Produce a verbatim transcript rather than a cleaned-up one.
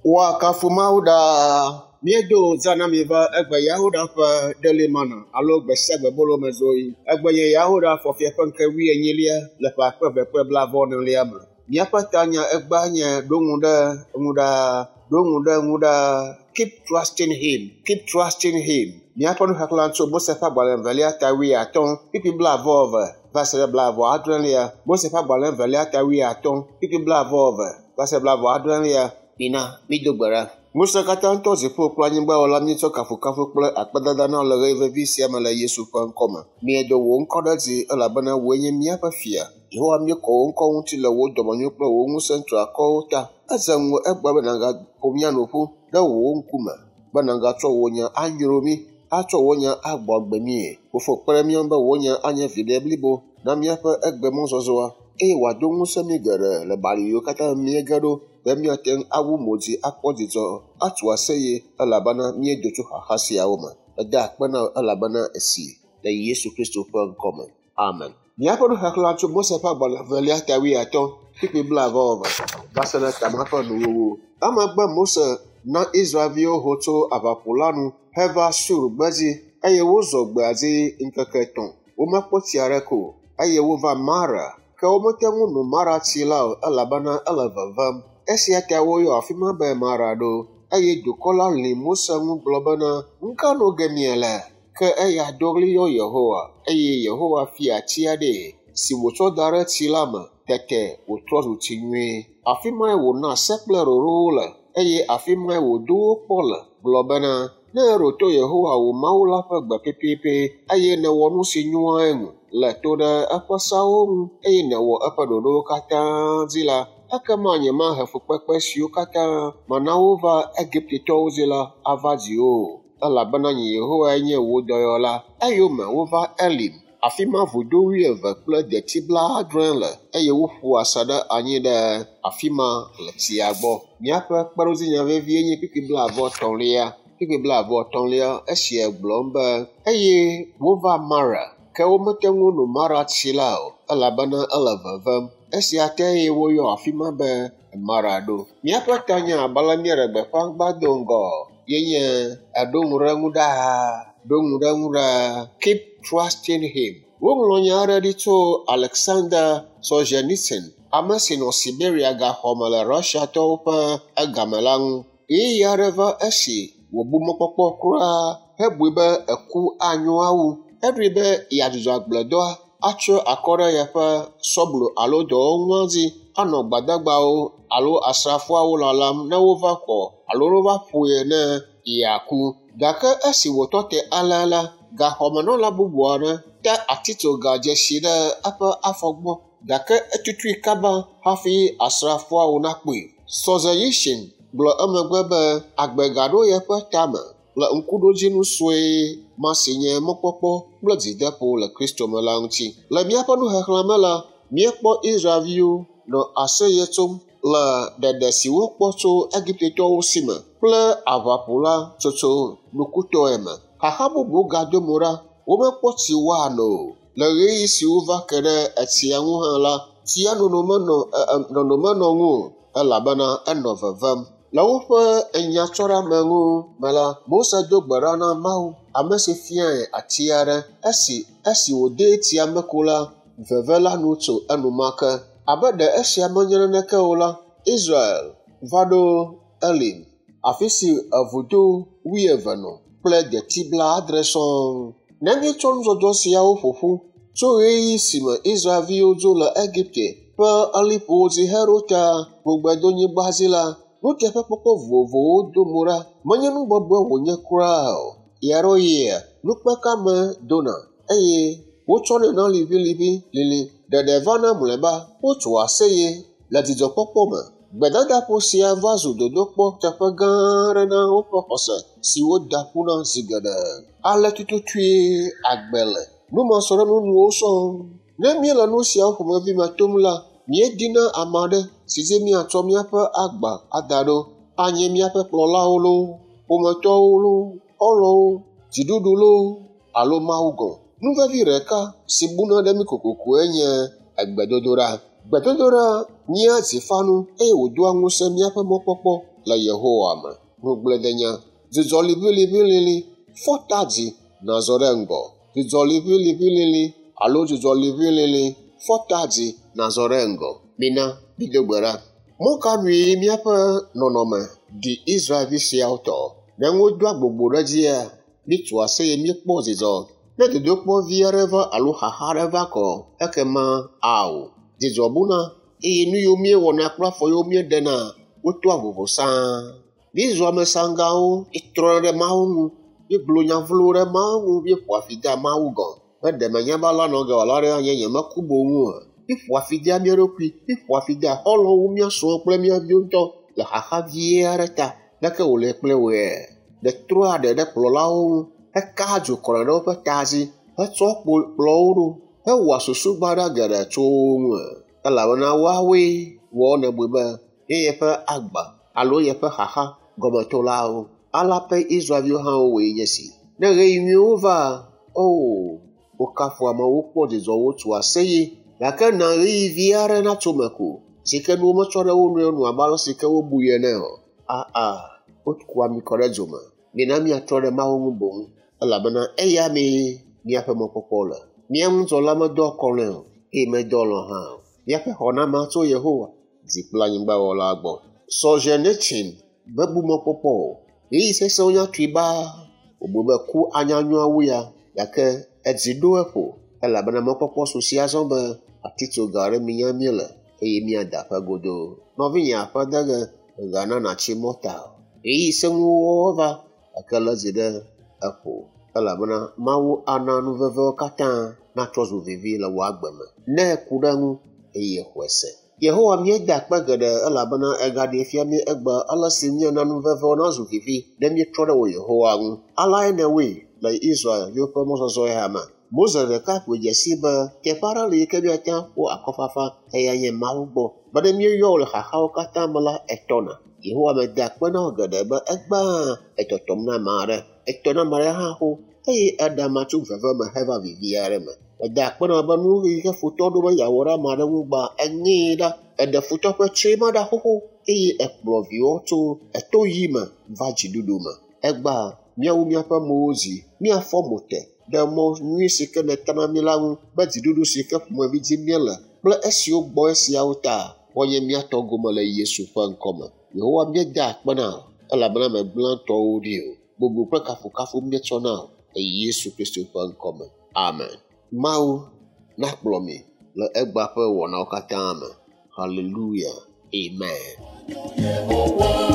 Woakafu Mawu ɖaa. Míedo zã na mi va egbe Yahuda ƒe Daily Manna alo gbe sia gbe bolo me zoyi. Egbe nye Yahuda fɔfia ƒe ŋke wuienyilia le ƒe akpe eve kple blaeve enelia me. Míaƒe tanya egbea nye ɖo ŋu ɖe ŋu ɖaa, ɖo ŋu ɖe ŋu ɖaa. Keep trusting him, keep trusting him. Míaƒe nuxexlẽ tso Mose ƒe agbalẽ evelia ta wuiatɔ̃, kpukpui blaeve eve va se ɖe blaeve adrelia. Mose ƒe agbalẽ evelia ta wuiatɔ̃, kpukpui blaeve eve va se ɖe blaeve adrelia. Mina mído gbe ɖa. Ŋusẽ katã tɔ dziƒo kple anyigba wɔla míetsɔ kafukafu kple akpedada na le ɣeyiɣi vevi sia me le Yesu ƒe ŋkɔme. Míedo wò ŋkɔ ɖe dzi elabena wòe nye míaƒe fia. Yehowa míekɔ wò ŋkɔ ŋuti le wò dɔmenyo kple wò ŋusẽ triakɔwo ta. Edze ŋuwò egbea be nàgaƒo mía nu ƒu ɖe wò ŋkume be nàgatsɔ wò nya anyro mí, atsɔ wò nya agbɔ agbe míe. Fofo kpe ɖe mía ŋu be wò nya anye viɖe blibo na míaƒe egbemɔzɔzɔa eye wòado ŋusẽ mí geɖe le bali yiwo katã míege ɖo be míate ŋu awu mo dzi akpɔ dzidzɔ atu aseye elabena míedo tso xaxa siawo me. Eda akpe na wò elabena esi le Yesu Kristo ƒe ŋkɔme. Amen. Míaƒe nuxexlẽ tso Mose ƒe agbalẽ evelia ta wuiatɔ̃, kpukpui blaeve eve va se ɖe tama ƒe nuwuwu. Emegbe Mose na Israelviwo ho tso aʋaƒu la nu heva Sur gbedzi eye wozɔ gbea dzi ŋkeke etɔ̃. Womekpɔ tsi aɖeke o eye wova Mara. Ke womete ŋu no Mara tsi la o elabena ele vevem. Esia ta woyɔ afi ma be Mara ɖo. Eye dukɔ la lĩ Mose ŋu gblɔ bena, “Nu ka no ge miele?” Ke eya do ɣli yɔ Yehowa eye Yehowa fia ati aɖee si wòtsɔ da ɖe tsi la me. Tete wòtrɔ zu tsi nyui. Afi mae wòna se kple ɖoɖowo le eye afi mae wòdo wo kpɔ le gblɔ bena, “Ne èɖo to Yehowa wò Mawu la ƒe gbe pɛpɛpɛ eye nèwɔ nu si nyoa eŋu, lé to ɖe eƒe seawo ŋu eye nèwɔ eƒe ɖoɖowo katã dzi la, ekema nyemahe fukpekpe siwo katã mana wova Egiptetɔwo dzi la ava dziwò o, elabena nye Yehowae nye wò dɔyɔla.” Eyome wova Elim, afi ma vudo wuieve kple deti blaadre le eye woƒu asaɖa anyi ɖe afi ma le tsia gbɔ. Míaƒe kpeɖodzinya vevie nye kpukpui blaeve etɔ̃lia. Kpukpui blaeve etɔ̃lia esia gblɔm be eye wova Mara, ke womete ŋu no Mara tsi la o elabena ele vevem. Esia tae woyɔ afi ma be Mara ɖo. Míaƒe tanya abe ale míeɖe gbeƒã gbã do ŋgɔ ye nye eɖo ŋu ɖe ŋu ɖaa, ɖo ŋu ɖe ŋu ɖaa. Keep trusting him. Woŋlɔ nya aɖe ɖi tso Alexander Solzhenitsyn, ame si nɔ Siberia gaxɔme le Russiatɔwo ƒe egame la ŋu. Ɣeyiɣi aɖe va esi wòbu mɔkpɔkpɔ kura hebui be eku anyo awu. Eɖoe be yeadzudzɔ agbledɔa, atsyɔ akɔ ɖe yeƒe sɔblo alo dɔwɔnua dzi anɔ gbadagbawo alo asrafoawo lalam ne wova xɔ alo ne wova ƒoe ne yeaku. Gake esi wòtɔ te alea la, gaxɔmenɔla bubu aɖe te atitsoga dzesi ɖe eƒe afɔ gbɔ gake etutui kaba hafi asrafoawo nakpɔe. Solzhenitsyn gblɔ emegbe be agbe gaɖo yeƒe tame le ŋkuɖodzinu sue ma si nye mɔkpɔkpɔ kple dzideƒo le Kristo me la ŋuti. Le míaƒe nuxexlẽ me la, míekpɔ Israelviwo nɔ aseye tsom le ɖeɖe si wokpɔ tso Egiptetɔwo si me kple aʋaƒu la tsotso nukutɔe me. Xaxa bubu gado mo ɖa, womekpɔ tsi woano o. Le ɣeyiɣi si wova ke ɖe etsia ŋu hã la, tsia nono menɔ nono menɔ ŋu o elabena enɔ vevem. Le woƒe nyatsɔɖeameŋu me la, Mose do gbe ɖa na Mawu, ame si fiae ati aɖe. Esi esi wòdee tsia me ko la, veve la nu tso enumake. Abe ɖe esia menye naneke o la, Israel va ɖo Elim, afi si evudo wuieve nɔ kple deti blaadre sɔŋ. Ne míetsɔ nudzɔdzɔ siawo ƒo ƒu tso ɣeyiɣi si me Israelviwo dzo le Egipte ƒe liƒowo dzi heɖo ta ŋugbedonyigba dzi la, nuteƒekpɔkpɔ vovovowo do mo ɖa. Menye nu bɔbɔe wònye kura o. Ɣeaɖewoɣia, nukpekame dona eye wotsɔnɛ na liʋiliʋi lili. Ɖeɖe vana mlɔeba, wotsoa aseye le dzidzɔkpɔkpɔ me. Gbedadaƒo sia va zu dodokpɔ teƒe gã aɖe na woƒe xɔse si woda ƒu na zi geɖe. Ale tututue agbe le. Numasɔɖenunuwo sɔŋ. Ne míele nu siawo ƒomevi me tom la, míedina ame aɖe si dzi míatsɔ míaƒe agba ada ɖo. Anye míaƒe kplɔlawo loo, ƒometɔwo loo, xɔlɔ̃wo, dziɖuɖu loo alo Mawu gɔ̃. Nu vevi ɖeka si buna ɖe mí kokokoe nye egbedodoɖa. Gbedodoɖa nyea dzifanu eye wòdoa ŋusẽ míaƒe mɔkpɔkpɔ le Yehowa me. Ŋugbledenya, dzudzɔ liʋiliʋilili, fɔ ta dzi nàzɔ ɖe ŋgɔ. Dzudzɔ liʋiliʋilili alo dzudzɔ liʋilili, fɔ ta dzi nàzɔ ɖe ŋgɔ. Mina mído gbe ɖa. Mɔ ka nue míaƒe nɔnɔme ɖi Israelvi siawo tɔ? Ne wodoa gbogbo ɖe dzia, míetua aseye míekpɔ dzidzɔ. Ne dodokpɔ vi aɖe va alo xaxa aɖe va kɔ, ekema ao, dzidzɔ buna eye nu yiwo míewɔna kple afɔ yiwo míeɖena wotoa vovo sãa. Míezua ame saŋgawo, míetrɔna ɖe Mawu ŋu, míegblɔ nya vlowo ɖe Mawu ŋu, míeƒoa fi dea Mawu gɔ̃. Be ɖe menya be alea nɔ ge wòala ɖe anye nyemeku boŋ oa? Míeƒoa fi dea mía ɖokui, míeƒoa fi dea xɔlɔ̃wo, mía srɔ̃wo kple mía viwo ŋutɔ le xaxa vie aɖe ta. Leke wòle kple wòe? Ɖe trɔa ɖe ɖe kplɔlawo ŋu, hekaa dzo kɔna ɖe woƒe ta dzi, hetsɔ kpo kplɔ wo ɖo, hewɔa susu baɖa geɖe tso wo ŋu. Elabena woawoe wɔ nèbui be ye yeƒe agba alo yeƒe xaxa gɔmetolawo. Alea ƒe Israelviwo hã wowɔe nye si. Ne ɣeyiɣi nyuiwo va, o, wokafu amewo kpɔ dzidzɔ wotu aseye. Gake na ɣeyiɣi vi aɖe natso me ko, si ke nuwo metsɔ ɖe wo nɔewo nu abe ale si ke wobui ene o. Aa, wokua mi kɔ ɖe dzo me. Mina míatrɔ ɖe Mawu ŋu boŋ, elabena eya mee míaƒe mɔkpɔkpɔ le. Mía ŋudzɔla medɔ akɔlɔ̃e o, eye medɔ alɔ̃ hã o. Míaƒe xɔname tso Yehowa, dzi kple anyigbawɔla gbɔ. Solzhenitsyn mebu mɔkpɔkpɔ o. Ɣeyiɣi sesẽwo nya tui baa. Wòbu be ku anya nyoa wu ya, gake edzi ɖo eƒo elabena mɔkpɔkpɔ su si azɔ be atitsoga aɖe minya míele eye míada aƒe godoo. Nɔvinye aƒe de ge mègana nàtsi mɔta o. Ɣeyiɣi sẽŋuwo va gake lé dzi ɖe eƒo elabena Mawu ana nu vevewo katã natrɔ zu vivi le wò agbe me ne èku ɖe eŋu eye exɔe se. Yehowa míeda akpe geɖe elabena egaɖee fia mí egbe ale si míana nu vevewo nazu vivi ne míetrɔ ɖe wò Yehowa ŋu. Aleae nèwɔe le Israelviwo ƒe mɔzɔzɔ ya me. Mose ɖeka ƒoe dze sii be teƒe aɖe li yi ke míate ŋu akpɔ akɔfafa eya nye Mawu gbɔ. Be ne míeyɔ wò le xaxawo katã me la, etɔna. Yehowa meda akpe na wò geɖe be egbea etɔtɔm na ame aɖe. Etɔ na ame aɖe hã xoxo eye eɖe amea tso veve me heva vivi aɖe me. Meda akpe na wò be nu yi ke futɔ ɖo be yeawɔ ɖe ame aɖe ŋu gbã, eŋee ɖa. Eɖe futɔ ƒe tsrima ɖa xoxo eye ekplɔ viwò tso eto ɣi me va dziɖuɖu me. Egbea míawu míaƒe mowo dzi, míafɔ mo te ɖe mɔ nyui si ke nèta na mí la ŋu be dziɖuɖu si ke ƒomevi dim míele kple esiwo gbɔ esiawo ta woanye mía tɔ gome le Yesu ƒe ŋkɔme. Yehowa míeda akpe na wò elabena mègblẽ tɔwò ɖi o. Bubu kple kafukafu míetsɔ na wò le Yesu Kristo ƒe ŋkɔme. Amen. Mawu nakplɔ mi le egbea ƒe wɔnawo katã me. Hallelujah. Amen. Yehowa.